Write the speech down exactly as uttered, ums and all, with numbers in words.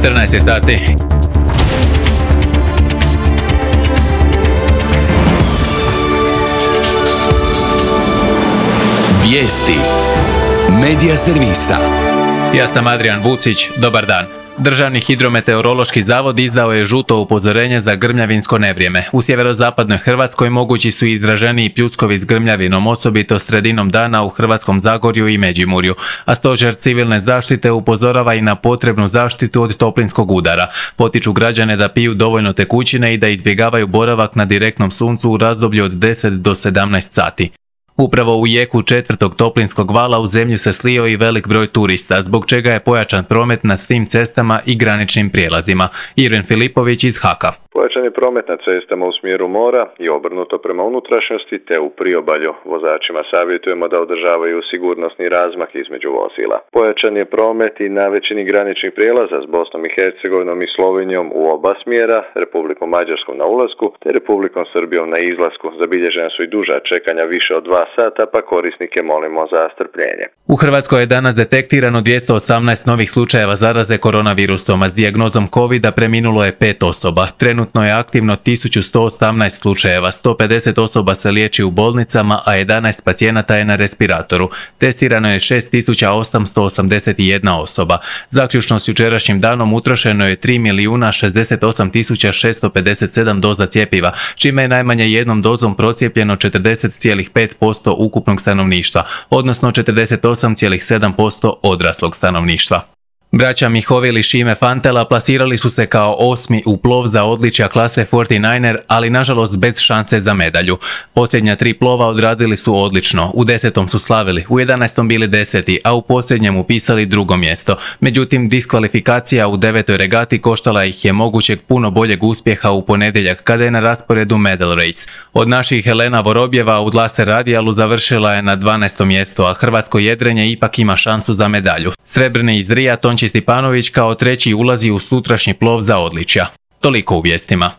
četrnaest je sati. Vijesti Medija servisa. Ja sam Adrian Vucić, dobar dan. Državni hidrometeorološki zavod izdao je žuto upozorenje za grmljavinsko nevrijeme. U sjeverozapadnoj Hrvatskoj mogući su izraženiji pljuskovi s grmljavinom, osobito sredinom dana u Hrvatskom Zagorju i Međimurju, a stožer civilne zaštite upozorava i na potrebnu zaštitu od toplinskog udara. Potiču građane da piju dovoljno tekućine i da izbjegavaju boravak na direktnom suncu u razdoblju od deset do sedamnaest sati. Upravo u jeku četvrtog toplinskog vala u zemlju se slio i velik broj turista, zbog čega je pojačan promet na svim cestama i graničnim prijelazima. Irvin Filipović iz Haka. Pojačan je promet na cestama u smjeru mora i obrnuto prema unutrašnjosti, te u priobalju. Vozačima savjetujemo da održavaju sigurnosni razmak između vozila. Pojačan je promet i na većini graničnih prijelaza s Bosnom i Hercegovinom i Slovenijom u oba smjera, Republikom Mađarskom na ulasku te Republikom Srbijom na izlasku. Zabilježena su i duža čekanja više od dva sata, pa korisnike molimo za strpljenje. U Hrvatskoj je danas detektirano dvjesto osamnaest novih slučajeva zaraze koronavirusom, a s dijagnozom covida preminulo je pet osoba. Trenutno je aktivno tisuću sto osamnaest slučajeva, sto pedeset osoba se liječi u bolnicama, a jedanaest pacijenata je na respiratoru. Testirano je šest tisuća osamsto osamdeset jedna osoba. Zaključno s jučerašnjim danom utrošeno je tri milijuna šezdeset osam tisuća šesto pedeset sedam doza cjepiva, čime je najmanje jednom dozom procijepljeno četrdeset zarez pet posto ukupnog stanovništva, odnosno četrdeset osam zarez sedam posto odraslog stanovništva. Braća Mihovil i Šime Fantela plasirali su se kao osmi u plov za odličja klase četrnaest er, ali nažalost bez šanse za medalju. Posljednja tri plova odradili su odlično, u desetom su slavili, u jedanaestom bili deseti, a u posljednjem upisali drugo mjesto. Međutim, diskvalifikacija u devetoj regati koštala ih je mogućeg puno boljeg uspjeha u ponedjeljak, kada je na rasporedu medal race. Od naših Helena Vorobjeva u laser radijalu završila je na dvanaestom mjestu, a hrvatsko jedrenje ipak ima šansu za medalju. Srebrni iz Rija Tonči Stipanović kao treći ulazi u sutrašnji plov za odličja. Toliko u vijestima.